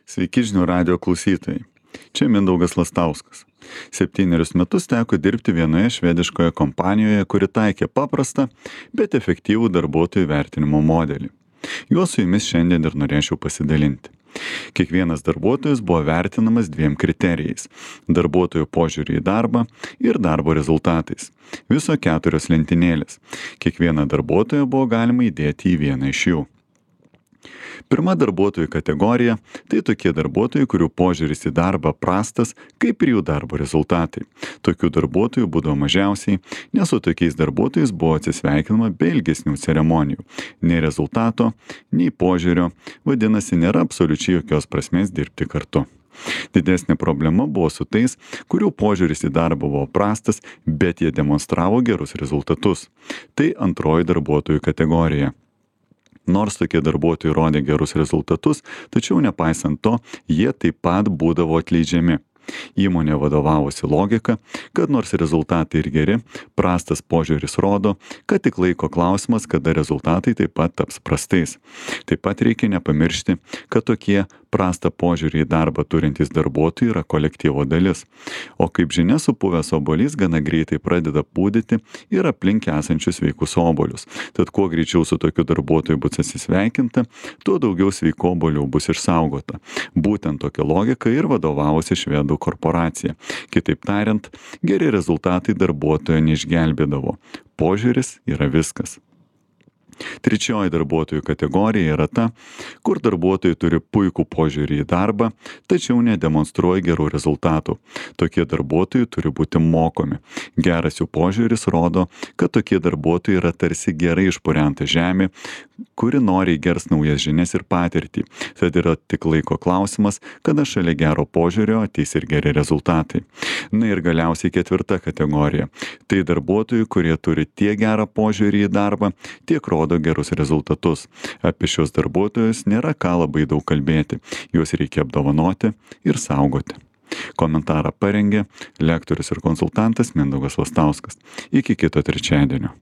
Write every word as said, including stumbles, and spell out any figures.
Sveiki žinių radijo klausytojai. Čia Mindaugas Lastauskas. Septynerius metus teko dirbti vienoje švediškoje kompanijoje, kuri taikė paprastą, bet efektyvų darbuotojų vertinimo modelį. Juo su jumis šiandien ir norėčiau pasidalinti. Kiekvienas darbuotojas buvo vertinamas dviem kriterijais - darbuotojo požiūrį į darbą ir darbo rezultatais. Viso keturios lentynėlės. Kiekvieną darbuotoją buvo galima įdėti į vieną iš jų. Pirma darbuotojų kategorija - tai tokie darbuotojai, kurių požiūris į darbą prastas, kaip ir jų darbo rezultatai. Tokių darbuotojų būdavo mažiausiai, nes su tokiais darbuotojais buvo atsisveikinama be ilgesnių ceremonijų. Nei rezultato, nei požiūrio, vadinasi, nėra absoliučiai jokios prasmės dirbti kartu. Didesnė problema buvo su tais, kurių požiūris į darbą buvo prastas, bet jie demonstravo gerus rezultatus. Tai antroji darbuotojų kategorija. Nors tokie darbuotojai rodė gerus rezultatus, tačiau nepaisant to, jie taip pat būdavo atleidžiami. Įmonė vadovavosi logika, kad nors rezultatai ir geri, prastas požiūris rodo, kad tik laiko klausimas, kada rezultatai taip pat taps prastais. Taip pat reikia nepamiršti, kad tokie prastą požiūrį į darbą turintys darbuotojai yra kolektyvo dalis. O kaip žinia, supuvęs obuolys gana greitai pradeda pūdyti ir aplink esančius sveikus obuolius. Tad kuo greičiau su tokiu darbuotoju bus atsisveikinta, tuo daugiau sveikų obuolių bus išsaugota. Būtent tokia logika ir vadovavosi švedų korporacija. Kitaip tariant, geri rezultatai darbuotojo neišgelbėdavo. Požiūris yra viskas. Trečioji darbuotojų kategorija yra ta, kur darbuotojai turi puikų požiūrį į darbą, tačiau nedemonstruoja gerų rezultatų. Tokie darbuotojai turi būti mokomi. Geras jų požiūris rodo, kad tokie darbuotojai yra tarsi gerai išpurenta žemė, kuri noriai gers naujas žinias ir patirtį. Tad yra tik laiko klausimas, kada šalia gero požiūrio ateis ir geri rezultatai. Na ir galiausiai ketvirta kategorija. Tai darbuotojai, kurie turi tiek gerą požiūrį į darbą, tiek rodo gerus rezultatus. Apie šios darbuotojus nėra ką labai daug kalbėti. Juos reikia apdovanoti ir saugoti. Komentarą parengė lektorius ir konsultantas Mindaugas Lastauskas. Iki kito trečiadienio.